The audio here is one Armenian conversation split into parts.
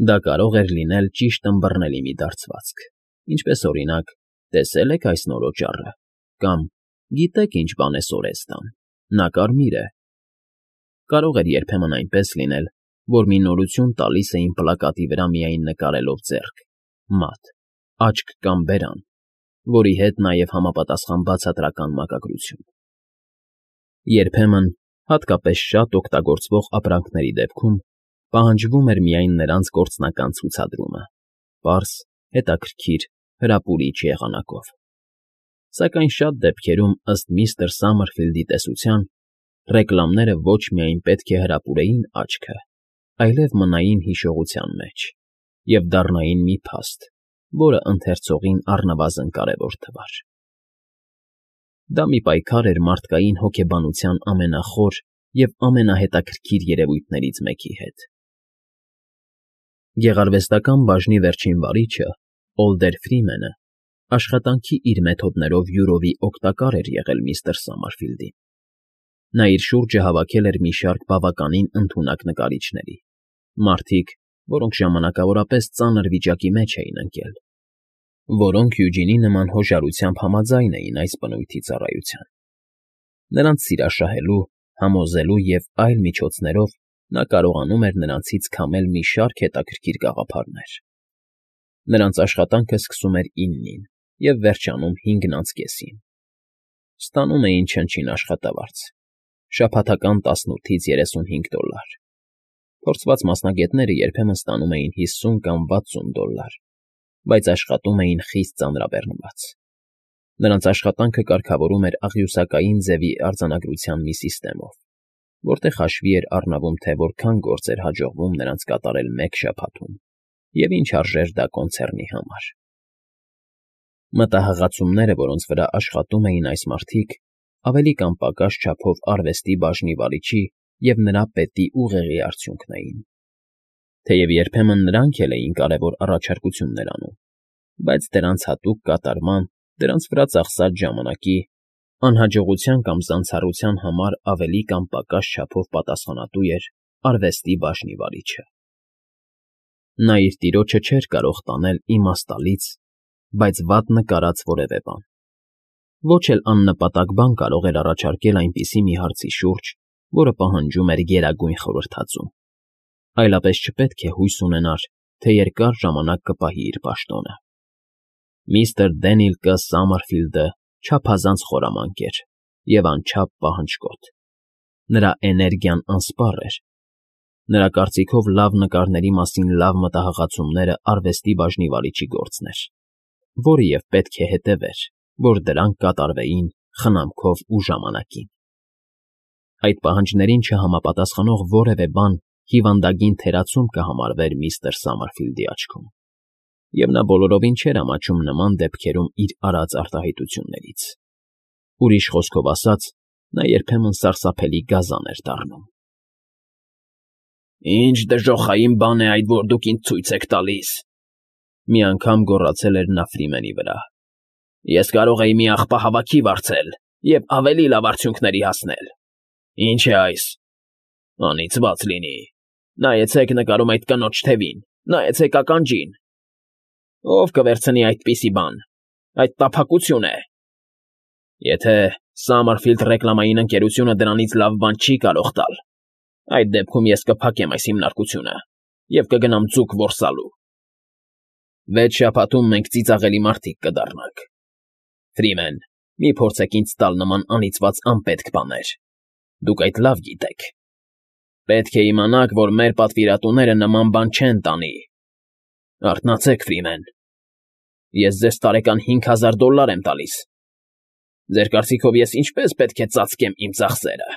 Դա կարող էր լինել ճիշտ ըմբռնելի մի դարձվածք, ինչպես, օրինակ, տեսե՞լ եք այս նոր օճառը, կամ գիտե՞ք ինչ բան է Սորեստան, նա կարմիր է։ Կարող էր երբեմն այնպես լինել, որ մի նորություն տալիս էին պլակատի վրա միայն նկարելով ձեռք, մատ, աչք կամ բերան, որի հետ նաև համապատասխան բացատրական մակագրություն։ Երբեմն, հատկապես շատ օգտագործվող ապրանքների դեպքում, պահանջվում էր միայն նրանց գործնական ցուցադրումը, պարզ, հետաքրքիր, հրապուրիչ եղանակով։ Սակայն շատ դեպքերում, ըստ միստր Սամերֆիլդի տեսության, ռեկլամները ոչ միայն պետք է հրապուրեին աչքը, այլև մնային հիշողության մեջ և դառնային մի փաստ, որը ընթերցողին առնվազն կարևոր թվար։ Դա մի պայքար էր մարդկային հոգեբանության ամենախոր և ամենահետաքրքիր երևույթներից մեկի հետ։ Գեղարվեստական բաժնի վերջին վարիչը՝ Օլդեր Ֆրիմենը, աշխատանքի իր մեթոդներով յուրովի օգտակար էր եղել միստր Սամարֆիլդին։ Նա իր շուրջը հավաքել էր մի շարք բավականին ընդունակ նկարիչների, մարդիկ, որոնք ժամանակավորապես ծանր վիճակի մեջ էին ընկել, որոնք Յուջինի նման հոժարությամբ համաձայն էին այս բնույթի ծառայության։ Նրանց սիրաշահելու, համոզելու և այլ միջոցներով նա կարողանում էր նրանցից քամել մի շարք հետաքրքիր գաղափարներ։ Նրանց աշխատանքը սկսում էր 9-ին և վերջանում 5:30-ին։ Ստանում էին չնչին աշխատավարձ, շաբաթական 18-ից $35։ Փորձված մասնագետները երբեմն ստանում էին 50 կամ $60, բայց աշխատում էին խիստ ծանրաբեռնված։ Նրանց աշխատանքը կարգավորում էր աղյուսակային ձևի արձանագրության մի սիստեմով, որտեղ հաշվի էր առնվում, թե որքան գործ էր հաջողվում նրանց կատարել մեկ շաբաթում և ինչ արժեր դա կոնցեռնի համար։ Մտահղացումները, որոնց վրա աշխատում էին այս մարդիկ, ավելի կամ պակաս չափով արվեստի բաժնի վարիչի և նրա պետի ուղեղի արդյունքն էին։ Թեև երբեմն նրանք էլ էին կարևոր առաջարկություններ անում, բայց դրանց հատուկ կատարման, դրանց վրա ծախսած ժամանակի, անհաջողության կամ զանցառության համար ավելի կամ պակաս չափով պատասխանատու էր արվեստի բաժնի վարիչը։ Նա իր տիրոջը չէր կարող տանել իմաստալից, բայց վատ նկարած որևէ բան։ Ոչ էլ աննպատակ բան կարող էր առաջարկել այնպիսի մի հարցի շուրջ, որը պահանջում էր գերագույն խորհրդածում, այլապես չպետք է հույս ունենար, թե երկար ժամանակ կպահի իր պաշտոնը։ Միստր Դենիլ Կ. Սամերֆիլդը չափազանց խորամանկ էր և անչափ պահնջկոտ։ Նրա էներգիան անսպառ էր։ Նրա կարծիքով լավ նկարների մասին լավ մտահղացումները արվեստի բաժնի վարիչի գործն էր, որը և պետք է հետևեր, որ դրանք կատարվեին խնամքով ու ժամանակին։ Այդ պահանջներին չհամապատասխանող որևէ բան հիվանդագին թերացում կհամարվեր միստր Սամերֆիլդի աչքում, և նա բոլորովին չէր ամաչում նման դեպքերում իր արած արտահայտություններից։ Ուրիշ խոսքով ասած, նա երբեմն սարսափելի գազան էր դառնում։ «Ինչ դժոխային բան է այդ, որ դուք ինձ ցույց եք տալիս,֊ մի անգամ գոռացել էր նա Ֆրիմենի վրա։֊ Ես կարող էի մի աղբահավաքի վարձել և ավելի լավ արդյունքների հասնել։ Ինչ է այս… Անիծված լինի… Նայեցեք նկարում այդ կնոջ թևին, նայեցեք ականջին… Ո՞վ կվերցնի այդպիսի բան… Այդ տափակություն է… Եթե Սամերֆիլդ ռեկլամային ընկերությունը դրանից լավ բան չի կարող տալ, այդ դեպքում ես կփակեմ այս հիմնարկությունը և կգնամ ձուկ որսալու։ 6 շաբաթում մենք ծիծաղելի մարդիկ կդառնանք։ Ֆրիմեն, մի փորձեք ինձ տալ նման անիծված անպետք բաներ… Դուք այդ լավ գիտեք։ Պետք է իմանաք, որ մեր պատվիրատուները նման բան չեն տանի… Արթնացեք, Ֆրիմեն… Ես ձեզ տարեկան $5000 եմ տալիս… Ձեր կարծիքով ես ինչպե՞ս պետք է ծածկեմ իմ ծախսերը…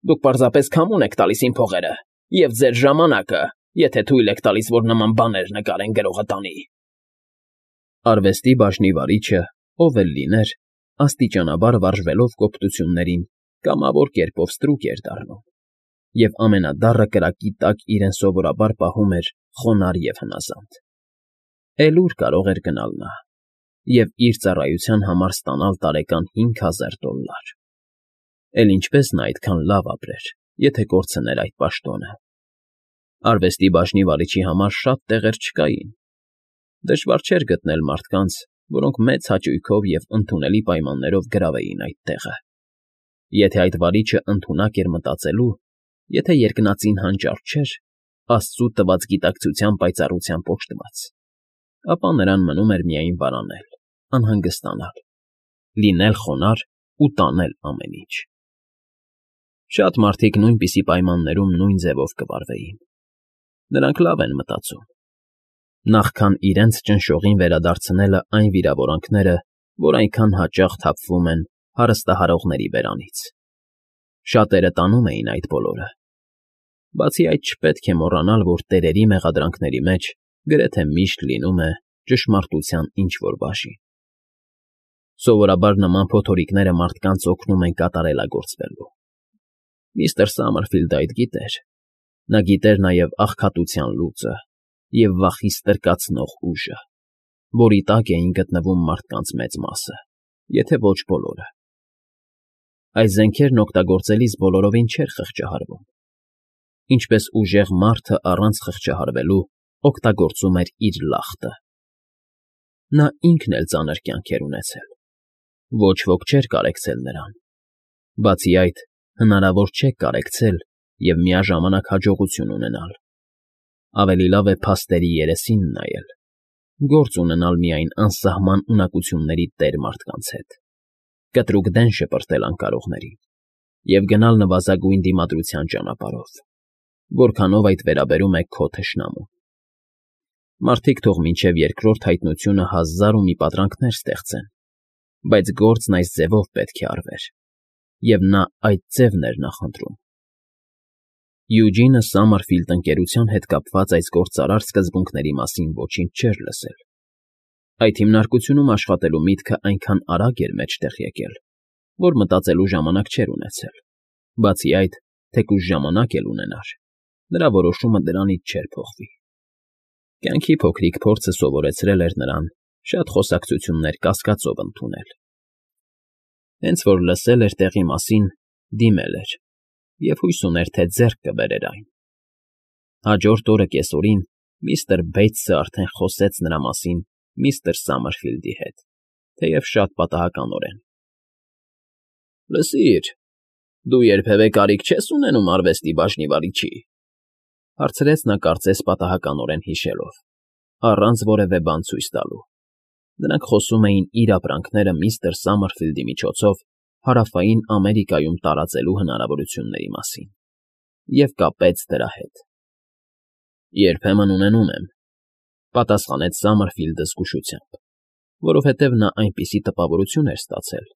Դուք պարզապես քամուն եք տալիս իմ փողերը և ձեր ժամանակը, եթե թույլ եք տալիս, որ նման բաներ նկարեն գրողը տանի… Արվեստի բաժնի վարիչը, ով էլ լիներ, աստիճանաբար վարժվելով կոպտություններին, կամավոր կերպով ստրուկ էր դառնում, և ամենադառը կրակի տակ իրեն սովորաբար պահում էր խոնարհ և հնազանդ։ Էլ ուր կարող էր գնալ նա և իր ծառայության համար ստանալ տարեկան $5000… Էլ ինչպե՞ս նա այդքան լավ ապրեր, եթե կորցներ այդ պաշտոնը։ Արվեստի բաժնի վարիչի համար շատ տեղեր չկային. դժվար չէր գտնել մարդկանց, որոնք մեծ հաճույքով և ընդունելի պայմաններով գրավեին այդ տեղը, եթե այդ վարիչը ընդունակ էր մտածելու, եթե երկնածին հանճար չէր, աստծու տված գիտակցության պայծառությամբ օժտված, ապա նրան մնում էր միայն վարանել, անհանգստանալ, լինել խոնարհ ու տանել ամեն ինչ։ Շատ մարդիկ նույնպիսի պայմաններում նույն ձևով կվարվեին. նրանք լավ են մտածում, նախքան իրենց ճնշողին վերադարձնելը այն վիրավորանքները, որ այնքան հաճախ թափվում են հարստահարողների բերանից։ Շատերը տանում էին այդ բոլորը։ Բացի այդ, չպետք է մոռանալ, որ տերերի մեղադրանքների մեջ գրեթե միշտ լինում է ճշմարտության ինչ-որ բաժին։ Սովորաբար նման փոթորիկները մարդկանց օգնում են կատարելագործվելու։ Միստր Սամերֆիլդը այդ գիտեր։ Նա գիտեր նաև աղքատության լուծը և վախի ստրկացնող ուժը, որի տակ էին գտնվում մարդկանց մեծ մասը, եթե ոչ բոլորը։ Այս զենքերն օգտագործելիս բոլորովին չէր խղճահարվում։ Ինչպես ուժեղ մարդը առանց խղճահարվելու օգտագործում էր իր լախտը։ Նա ինքն էլ ծանր կյանք էր ունեցել։ Ոչ ոք չէր կարեկցել նրան։ Բացի այդ, հնարավոր չէ կարեկցել և միաժամանակ հաջողություն ունենալ։ Ավելի լավ է փաստերի երեսին նայել, գործ ունենալ միայն անսահման ունակությունների տեր մարդկանց հետ, կտրուկ դեն շպրտել անկարողներին և գնալ նվազագույն դիմադրության ճանապարհով, որքանով այդ վերաբերում է քո թշնամուն։ Մարդիկ թող մինչև երկրորդ հայտնությունը հազար ու մի պատրանքներ ստեղծեն, բայց գործն այս ձևով պետք է արվեր, և նա այդ ձևն էր նախընտրում։ Յուջինը Սամերֆիլդ ընկերության հետ կապված այս գործարար սկզբունքների մասին ոչինչ չէր լսել։ Այդ հիմնարկությունում աշխատելու միտքը այնքան արագ էր մեջտեղ եկել, որ մտածելու ժամանակ չէր ունեցել։ Բացի այդ, թեկուզ ժամանակ էլ ունենար, նրա որոշումը դրանից չէր փոխվի։ Կյանքի փոքրիկ փորձը սովորեցրել էր նրան շատ խոսակցություններ կասկածով ընդունել։ Հենց որ լսել էր տեղի մասին, դիմել էր և հույս ուներ, թե ձեռք կբերեր այն։ Հաջորդ օրը կեսօրին միստր Բեյթսը արդեն խոսեց նրա մասին միստր Սամերֆիլդի հետ, թեև շատ պատահականորեն։ «Լսիր, դու երբևէ կարիք չես ունենում արվեստի բաժնի վարիչի», հարցրեց նա կարծես պատահականորեն հիշելով, առանց որևէ բան ցույց տալու։ Նրանք խոսում էին իր ապրանքները միստր Սամերֆիլդի միջոցով Հարավային Ամերիկայում տարածելու հնարավորությունների մասին և կապեց դրա հետ։ «Երբեմն ունենում եմ», պատասխանեց Սամերֆիլդը զգուշությամբ, որովհետև նա այնպիսի տպավորություն էր ստացել,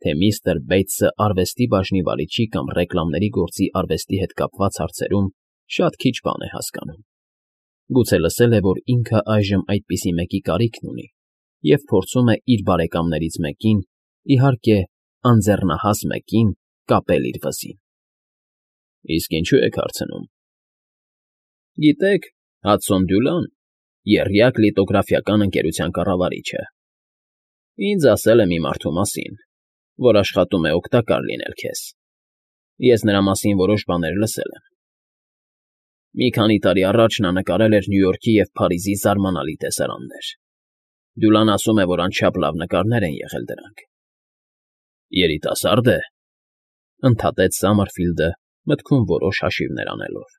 թե միստր Բեյթսը արվեստի բաժնի վարիչի կամ ռեկլամների գործի արվեստի հետ կապված հարցերում շատ քիչ բան է հասկանում։ Գուցե լսել է, որ ինքը այժմ այդպիսի մեկի կարիքն ունի և փորձում է իր բարեկամներից մեկին, իհարկե, անձեռնահաս մեկին, կապել իր վզին։ Իսկ ինչու եք հարցնում։ Գիտեք, Հադսոն Դյուլան, եռյակ լիտոգրաֆիական ընկերության կառավարիչը, ինձ ասել է մի մարդու մասին, որ աշխատում է օգտակար լինել քեզ։ Ես նրա մասին որոշ բաներ լսել եմ։ Մի քանի տարի առաջ նա նկարել էր Նյու Յորքի և Փարիզի զարմանալի տեսարաններ։ Դյուլան ասում է, որ անչափ լավ նկարներ են եղել դրանք։ Երիտասարդ է, ընդհատեց Սամերֆիլդը, մտքում որոշ հաշիվներ անելով։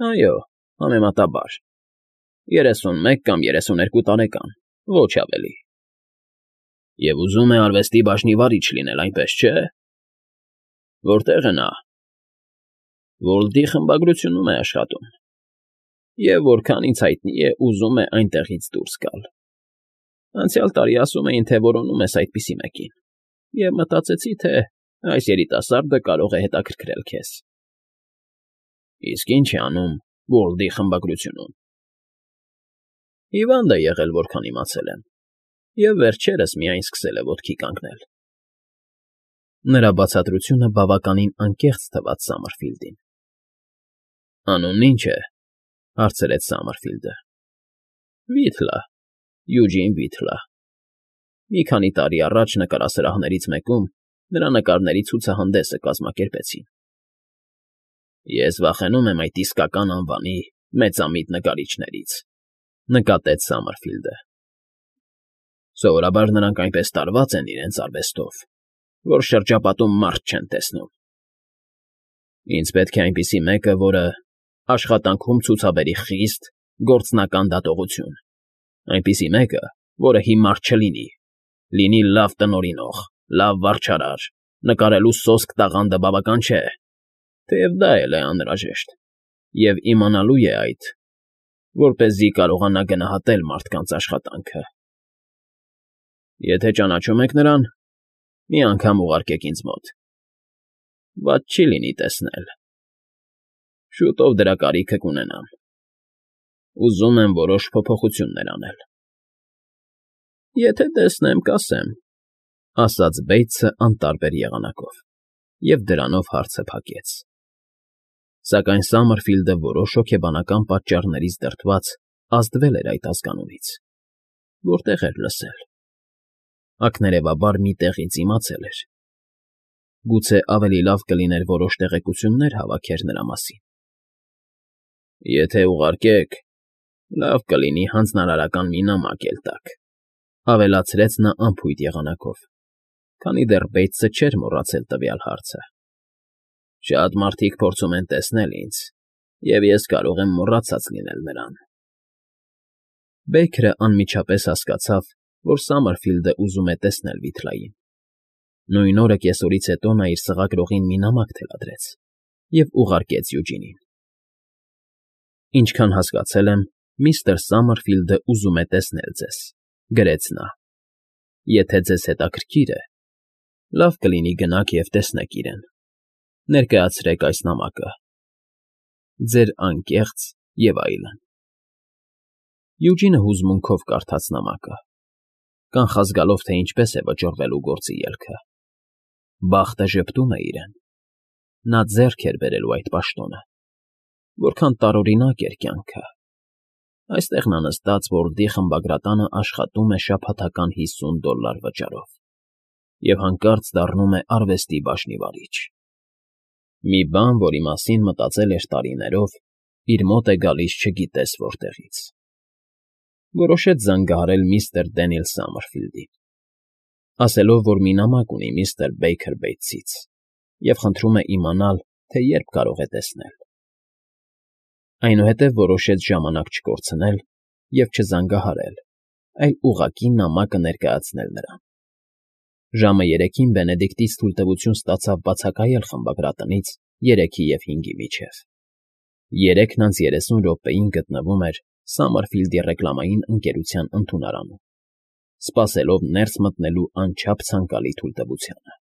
Այո, համեմատաբար։ 31 կամ 32 տարեկան, ոչ ավելի։ Եվ ուզում է արվեստի բաժնի վարիչ լինել, այնպես չէ։ Որտե՞ղ է նա։ Վոլդի խմբագրությունում է աշխատում։ Եվ որքան ինձ հայտնի է, ուզում է այնտեղից դուրս գալ։ Անցյալ տարի ասում էին, թե որոնում ես այդպիսի մեկին, և մտածեցի, թե այս երիտասարդը կարող է հետաքրքրել քեզ։ Իսկ ի՞նչ է անում Վոլդի խմբագրությունում։ Հիվանդ է եղել, որքան իմացել եմ, և վերջերս միայն սկսել է ոտքի կանգնել։ Նրա բացատրությունը բավականին անկեղծ թվաց Սամերֆիլդին։ Անունն ի՞նչ է, հարցրեց Սամերֆիլդը։ Վիթլա, Յուջին Վիթլա։ Մի քանի տարի առաջ նկարասրահներից մեկում նրա նկարների ցուցահանդեսը կազմակերպեցին։ Ես վախենում եմ այդ իսկական անվանի մեծամիտ նկարիչներից,֊ նկատեց Սամերֆիլդը։ Սովորաբար նրանք այնպես տարված են իրենց արվեստով, որ շրջապատում մարդ չեն տեսնում։ Ինձ պետք է այնպիսի մեկը, որը աշխատանքում ցուցաբերի խիստ գործնական դատողություն, այնպիսի մեկը, որը հիմար չլինի, լինի լավ տնօրինող, լավ վարչարար, նկարելու սոսկ տաղանդը բավական չէ, թեև դա էլ է անհրաժեշտ, և իմանալու է այդ, որպեսզի կարողանա գնահատել մարդկանց աշխատանքը։ Եթե ճանաչում եք նրան, մի անգամ ուղարկեք ինձ մոտ, վատ չի լինի տեսնել, շուտով դրա կարիքը կունենամ, ուզում եմ որոշ փոփոխություններ անել։ Եթե տեսնեմ, կասեմ,֊ ասաց Բեյթսը անտարբեր եղանակով և դրանով հարցը փակեց։ Սակայն Սամերֆիլդը որոշ հոգեբանական պատճառներից դրդված ազդվել էր այդ ազգանունից, որտեղ էր լսել, ակներևաբար մի տեղից իմացել էր, գուցե ավելի լավ կլիներ որոշ տեղեկություններ հավաքեր նրա մասին։ Եթե ուղարկեք, լավ կլինի հանձնարարական մի նամակ էլ տաք,֊ ավելացրեց նա անփույթ եղանակով, քանի դեռ Բեյթսը չէր մոռացել տվյալ հարցը։ Շատ մարդիկ փորձում են տեսնել ինձ, և ես կարող եմ մոռացած լինել նրան։ Բեյքերը անմիջապես հասկացավ, որ Սամերֆիլդը ուզում է տեսնել վիթլային։ Նույն օրը կեսօրից հետո նա իր սղագրողին մի նամակ թելադրեց և ուղարկեց Յուջինին։ Ինչքան հասկացել եմ, միստր Սամերֆիլդը ուզում է տեսնել ձեզ,֊ գրեց նա։ Եթե ձեզ հետաքրքիր է, լավ կլինի գնաք և տեսնեք իրեն, ներկայացրեք այս նամակը, ձեր անկեղծ և այլն։ Յուջինը հուզմունքով կարդաց նամակը, կանխազգալով, թե ինչպես է վճռվելու գործի ելքը։ Բախտը ժպտում է իրեն։ Նա ձեռք էր բերելու այդ պաշտոնը, որքան տարօրինակ էր կյանքը։ Այստեղ նա նստած Ոռլդի խմբագրատանը աշխատում է շաբաթական $50 վճարով և հանկարծ դառնում է արվեստի բաժնի վարիչ։ Մի բան, որի մասին մտածել էր տարիներով, իր մոտ է գալիս չգիտես որտեղից։ Որոշեց զանգահարել միստր Դենիել Սամերֆիլդին, ասելով, որ մի նամակ ունի միստր Բեյքեր Բեյթսից և խնդրում է իմանալ, թե երբ կարող է տեսնել։ Այնուհետև որոշեց ժամանակ չկորցնել և չզանգահարել, այլ ուղղակի նամակը ներկայացնել նրան։ Ժամը 3-ին Բենեդիկտից թույլտվություն ստացավ բացակայել խմբագրատնից 3-ի և 5-ի միջև։ 30 րոպեին գտնվում էր Սամերֆիլդի ռեկլամային ընկերության ընդունարանում, սպասելով ներս մտնելու անչափ ցանկալի թույլտվությանը։